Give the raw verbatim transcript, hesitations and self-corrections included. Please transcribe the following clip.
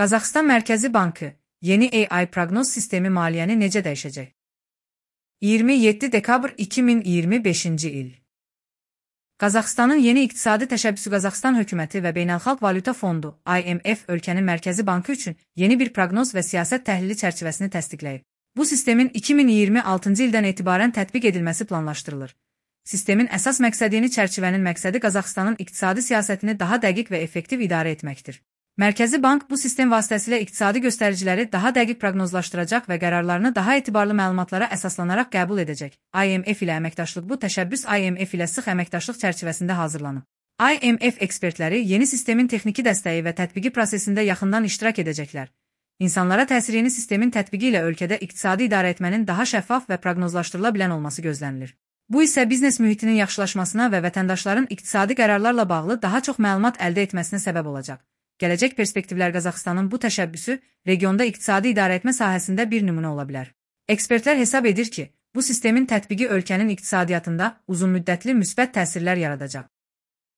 Qazaxıstan Mərkəzi Bankı yeni A I proqnoz sistemi maliyyəni necə dəyişəcək? iyirmi yeddi dekabr iki min iyirmi beşinci il. Qazaxıstanın yeni iqtisadi təşəbbüsü Qazaxıstan hökuməti və Beynəlxalq Valyuta Fondu I M F ölkənin Mərkəzi Bankı üçün yeni bir proqnoz və siyasət təhlili çərçivəsini təsdiqləyib. Bu sistemin iki min iyirmi altıncı ildən etibarən tətbiq edilməsi planlaşdırılır. Sistemin əsas məqsədini çərçivənin məqsədi Qazaxıstanın iqtisadi siyasətini daha dəqiq və effektiv idarə etməkdir. Mərkəzi Bank bu sistem vasitəsilə iqtisadi göstəriciləri daha dəqiq proqnozlaşdıracaq və qərarlarını daha etibarlı məlumatlara əsaslanaraq qəbul edəcək. I M F ilə əməkdaşlıq Bu təşəbbüs I M F ilə sıx əməkdaşlıq çərçivəsində hazırlanıb. I M F ekspertləri yeni sistemin texniki dəstəyi və tətbiqi prosesində yaxından iştirak edəcəklər. İnsanlara təsirini sistemin tətbiqi ilə ölkədə iqtisadi idarə etmənin daha şəffaf və proqnozlaşdırıla bilən olması gözlənilir. Bu isə biznes mühitinin yaxşılaşmasına və vətəndaşların iqtisadi qərarlarla bağlı daha çox məlumat əldə etməsinə səbəb olacaq. Gələcək perspektivlər Qazaxıstanın bu təşəbbüsü regionda iqtisadi idarə etmə sahəsində bir nümunə ola bilər. Ekspertlər hesab edir ki, bu sistemin tətbiqi ölkənin iqtisadiyyatında uzunmüddətli müsbət təsirlər yaradacaq.